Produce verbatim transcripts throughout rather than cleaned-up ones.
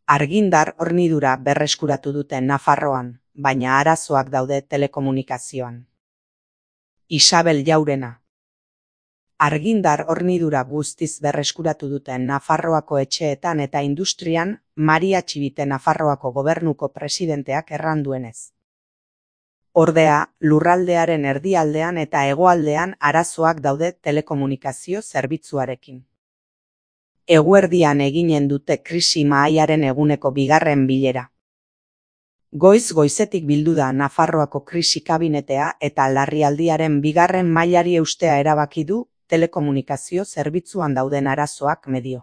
Argindar hornidura berreskuratu dute Nafarroan, baina arazoak daude telekomunikazioan. Isabel Jaurena. Argindar hornidura guztiz berreskuratu duten Nafarroako etxeetan eta industrian Maria Txibite Nafarroako gobernuko presidenteak erran duenez. Ordea, lurraldearen erdialdean eta hegoaldean arazoak daude telekomunikazio zerbitzuarekin. Eguerdian eginen dute krisi mahaiaren eguneko bigarren bilera. Goiz goizetik bildu da Nafarroako krisi kabinetea eta larrialdiaren bigarren mailari eustea erabaki du telekomunikazio zerbitzuan dauden arazoak medio.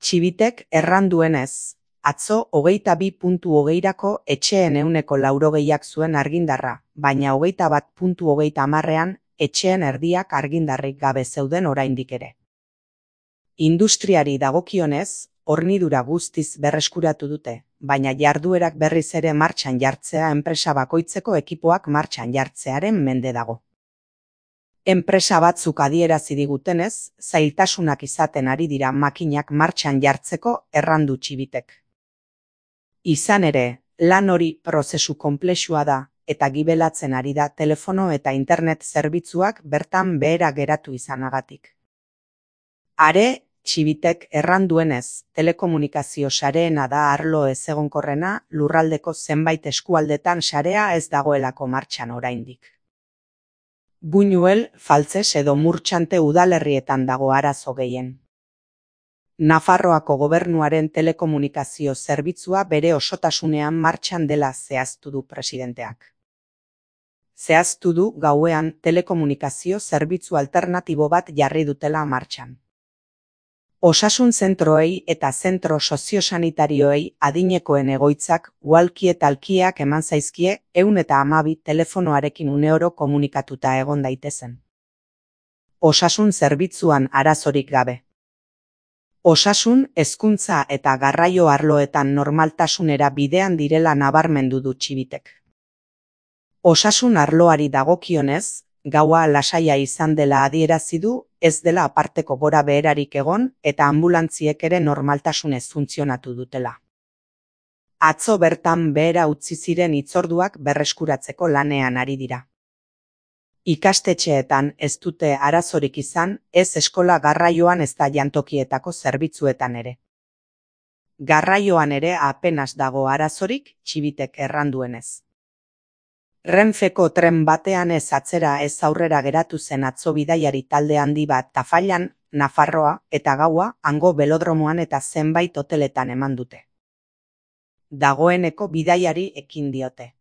Txibitek erran duenez, atzo hogeita bi puntu hogeirako etxeen ehuneko laurogeiak zuen argindarra, baina hogeita bat puntu hogeita hamarrean etxeen erdiak argindarrik gabe zeuden oraindik ere. Industriari dagokionez, hornidura guztiz berreskuratu dute, baina jarduerak berriz ere martxan jartzea enpresa bakoitzeko ekipoak martxan jartzearen mende dago. Enpresa batzuk adierazi digutenez, zailtasunak izaten ari dira makinak martxan jartzeko errandu Txibitek. Izan ere, lan hori prozesu konplexua da eta gibelatzen ari da telefono eta internet zerbitzuak bertan behera geratu izanagatik. Are, Txibitek erran duenez, telekomunikazio sareena da arlo ezegonkorrena lurraldeko zenbait eskualdetan sarea ez dagoelako martxan oraindik. Buñuel, Faltzes edo Murtxante udalerrietan dago arazo gehien. Nafarroako gobernuaren telekomunikazio zerbitzua bere osotasunean martxan dela zehaztu du presidenteak. Zehaztu du gauean telekomunikazio zerbitzu alternatibo bat jarri dutela martxan. Osasun zentroei eta zentro soziosanitarioei adinekoen egoitzak uhalki eta alkiak eman zaizkie ehun eta hamabi telefonoarekin uneoro komunikatuta egon daitezen. Osasun zerbitzuan arazorik gabe. Osasun, hezkuntza eta garraio arloetan normaltasunera bidean direla nabarmendu du Txibitek. Osasun arloari dagokionez, gaua lasaia izan dela adierazi du, ez dela aparteko gora beherarik egon eta ambulantziek ere normaltasunez funtzionatu dutela. Atzo bertan behera utzi ziren hitzorduak berreskuratzeko lanean ari dira. Ikastetxeetan ez dute arazorik izan, ez eskola garraioan ezta jantokietako zerbitzuetan ere. Garraioan ere apenas dago arazorik, Txibitek erran duenez. Renfeko tren batean ez atzera ez aurrera geratu zen atzo bidaiari talde handi bat Tafallan, Nafarroa eta gaua hango belodromoan eta zenbait hoteletan eman dute. Dagoeneko bidaiari ekin diote.